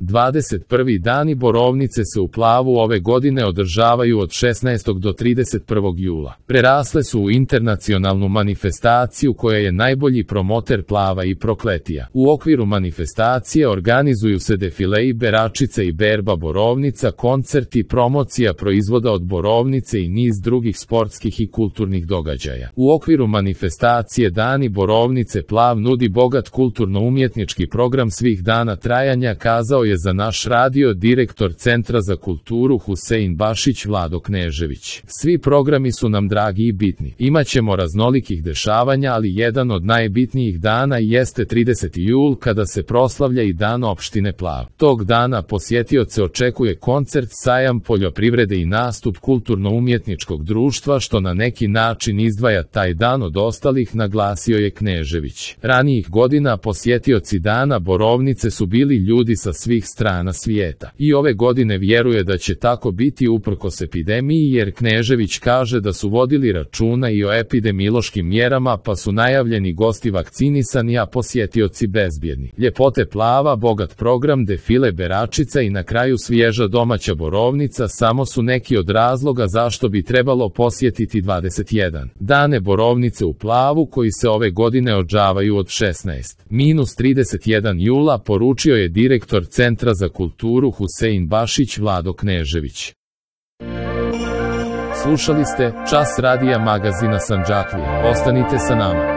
21. Dani Borovnice se u Plavu ove godine održavaju od 16. do 31. jula. Prerasle su u internacionalnu manifestaciju koja je najbolji promoter Plava i Prokletija. U okviru manifestacije organizuju se defilei Beračice i berba borovnica, koncerti, promocija proizvoda od borovnice i niz drugih sportskih i kulturnih događaja. U okviru manifestacije Dani Borovnice Plav nudi bogat kulturno-umjetnički program svih dana trajanja, kazao je za naš radio direktor Centra za kulturu Husein Bašić Vlado Knežević. Svi programi su nam dragi i bitni. Imaćemo raznolikih dešavanja, ali jedan od najbitnijih dana jeste 30. jul kada se proslavlja i dan opštine Plav. Tog dana posjetioce očekuje koncert, sajam poljoprivrede i nastup kulturno-umjetničkog društva, što na neki način izdvaja taj dan od ostalih, naglasio je Knežević. Ranijih godina posjetioci dana Borovnice su bili ljudi sa svih strana svijeta. I ove godine vjeruje da će tako biti uprkos epidemiji, jer Knežević kaže da su vodili računa i o epidemiološkim mjerama, pa su najavljeni gosti vakcinisani, a posjetioci bezbjedni. Ljepote Plava, bogat program, defile Beračica i na kraju svježa domaća borovnica samo su neki od razloga zašto bi trebalo posjetiti 21. Dane Borovnice u Plavu, koji se ove godine održavaju od 16-31 jula, poručio je direktor Centra za kulturu Husein Bašić Vlado Knežević. Slušali ste Čas radija magazina Sandžaklija. Ostanite sa nama.